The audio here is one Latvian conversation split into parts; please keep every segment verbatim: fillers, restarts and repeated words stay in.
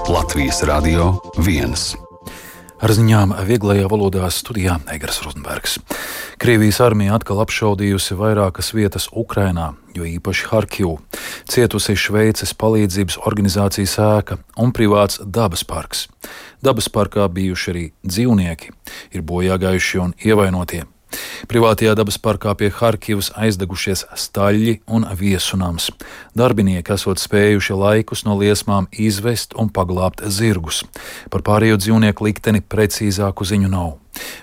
Latvijas Radio viens. Ar ziņām vieglajā valodā studijā Egars Rozenbergs. Krievijas armija atkal apšaudījusi vairākas vietas Ukrainā, jo īpaši Harkivu. Cietusi Šveices palīdzības organizācijas ēka un privāts dabas parks. Dabas parkā bijuši arī dzīvnieki, ir bojāgājušie un ievainotie. Privātajā dabas parkā pie Harkivas aizdegušies staļļi un viesunams. Darbinieki esot spējuši laikus no liesmām izvest un paglābt zirgus. Par pārējo dzīvnieku likteni precīzāku ziņu nav.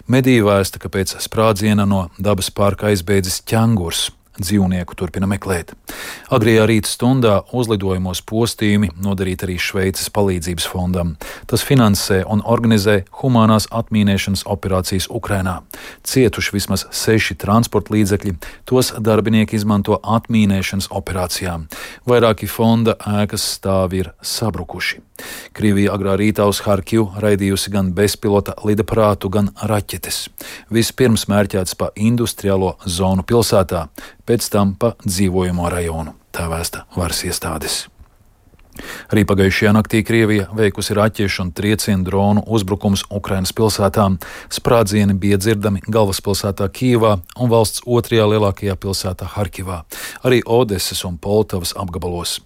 Mediji vēsta, ka pēc sprādziena no dabas parka aizbēdzis ķengurs. Dzīvnieku turpina meklēt. Agrajā rīta stundā uzlidojumos postījumi nodarīti arī Šveices palīdzības fondam. Tas finansē un organizē humānās atmīnēšanas operācijas Ukrainā. Cietuši vismaz seši transporta līdzekļi, tos darbinieki izmanto atmīnēšanas operācijām. Vairāki fonda ēkas stāvi ir sabrukuši. Krievija agrā rītā uz Harkivu raidījusi gan bezpilota lidaparātu, gan raķetes. Vispirms mērķēts pa industriālo zonu pilsētā, pēc tam pa dzīvojamo rajonu, tā vēsta varas iestādes. Arī pagājušajā naktī Krievija veikusi raķešu un triecienu dronu uzbrukums Ukrainas pilsētām. Sprādzieni bija dzirdami galvaspilsētā Kijevā un valsts otrajā lielākajā pilsētā Harkivā, arī Odesas un Poltavas apgabalos.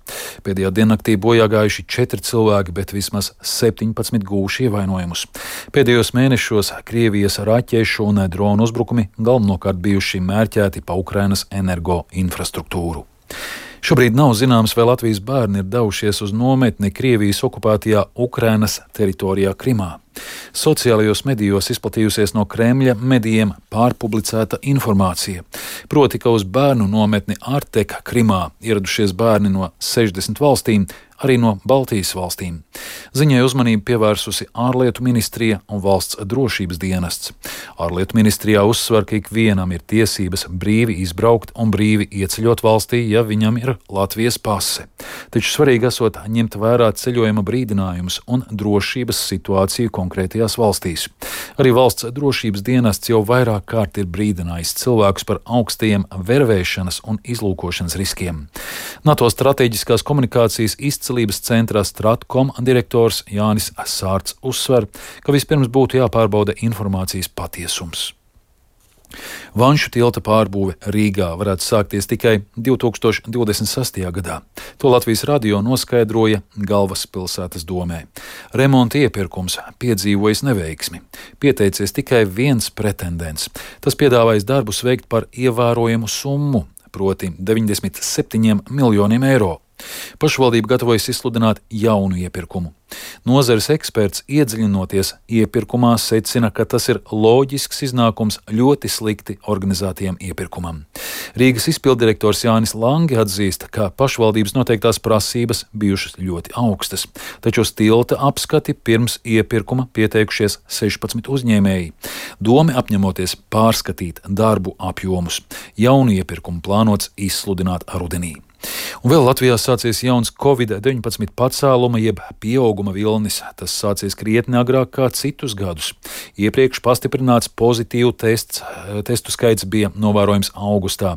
Pēdējā diennaktī bojāgājuši četri cilvēki, bet vismaz septiņpadsmit guvuši ievainojumus. Pēdējos mēnešos Krievijas raķešu un dronu uzbrukumi galvenokārt bijuši mērķēti pa Ukrainas energo infrastruktūru. Šobrīd nav zināms, vai Latvijas bērni ir devušies uz nometni Krievijas okupētajā Ukrainas teritorijā Krimā. Sociālajos medijos izplatījusies no Kremļa medijiem pārpublicēta informācija. Proti, ka uz bērnu nometni Arteka Krimā ieradušies bērni no sešdesmit valstīm, arī no Baltijas valstīm. Ziņai uzmanību pievērsusi ārlietu ministrija un valsts drošības dienests. Ārlietu ministrijā uzsver, ka ikvienam ir tiesības brīvi izbraukt un brīvi ieceļot valstī, ja viņam ir Latvijas pase. Taču svarīgi esot ņemt vērā ceļojuma brīdinājumus un drošības situāciju konkrētajās valstīs. Arī valsts drošības dienests jau vairāk kārt ir brīdinājis cilvēkus par augstajiem vervēšanas un izlūkošanas riskiem. NATO strateģiskās komunikācijas izcelības centrā Stratkom direktors Jānis Sārts uzsver, ka vispirms būtu jāpārbauda informācijas patiesums. Vanšu tilta pārbūve Rīgā varētu sākties tikai divi tūkstoši divdesmit sestajā gadā. To Latvijas radio noskaidroja Galvaspilsētas domē. Remonta iepirkums piedzīvojis neveiksmi. Pieteicies tikai viens pretendents. Tas piedāvājis darbus veikt par ievērojamu summu, proti deviņdesmit septiņiem miljoniem eiro. Pašvaldība gatavojas izsludināt jaunu iepirkumu. Nozares eksperts iedziļinoties iepirkumā secina, ka tas ir loģisks iznākums ļoti slikti organizētajam iepirkumam. Rīgas izpilddirektors Jānis Langi atzīst, ka pašvaldības noteiktās prasības bijušas ļoti augstas, taču uz tilta apskati pirms iepirkuma pieteikušies sešpadsmit uzņēmēji. Doma apņemoties pārskatīt darbu apjomus. Jaunu iepirkumu plānots izsludināt rudenī. Un vēl Latvijā sācies jauns covid deviņpadsmit pacēluma jeb pieauguma vilnis. Tas sācies krietni agrāk kā citus gadus. Iepriekš pastiprināts pozitīvu tests, testu skaits bija novērojams augustā.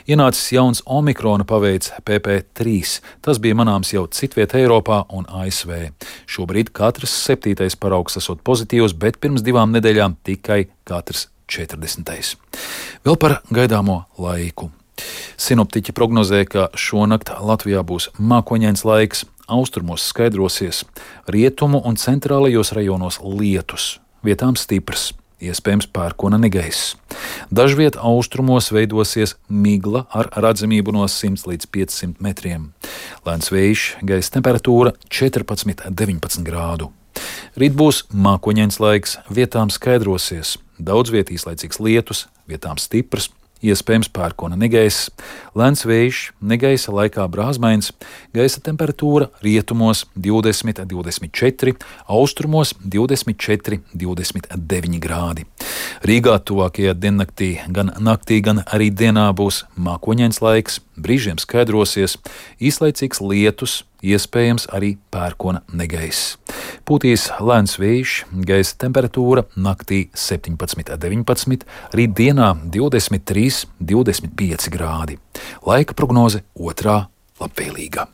Ienācis jauns omikrona paveids P P trīs. Tas bija manāms jau citviet Eiropā un A S V. Šobrīd katrs septītais paraugs esot pozitīvs, bet pirms divām nedēļām tikai katrs četrdesmitais. Vēl par gaidāmo laiku. Sinoptiķi prognozē, ka šonakt Latvijā būs mākoņains laiks, austrumos skaidrosies, rietumu un centrālajos rajonos lietus, vietām stiprs, iespējams pērkona negaiss. Dažviet austrumos veidosies migla ar redzamību no simts līdz piecsimt metriem. Lēns vējš, gaisa temperatūra četrpadsmit līdz deviņpadsmit grādu. Rīt būs mākoņains laiks, vietām skaidrosies, daudz viet īslaicīgs lietus, vietām stiprs, iespējams pērkona negaiss, lēns vējš, negaisa laikā brāzmains, gaisa temperatūra rietumos divdesmit līdz divdesmit četri, austrumos divdesmit četri līdz divdesmit deviņi grādi. Rīgā tuvākajā diennaktī gan naktī, gan arī dienā būs mākoņains laiks, brīžiem skaidrosies, īslaicīgs lietus, iespējams arī pērkona negaiss. Pūtīs lēns vējš, gaisa temperatūra naktī septiņpadsmit līdz deviņpadsmit, rīt dienā divdesmit trīs līdz divdesmit pieci grādi. Laika prognoze otrā labvēlīga.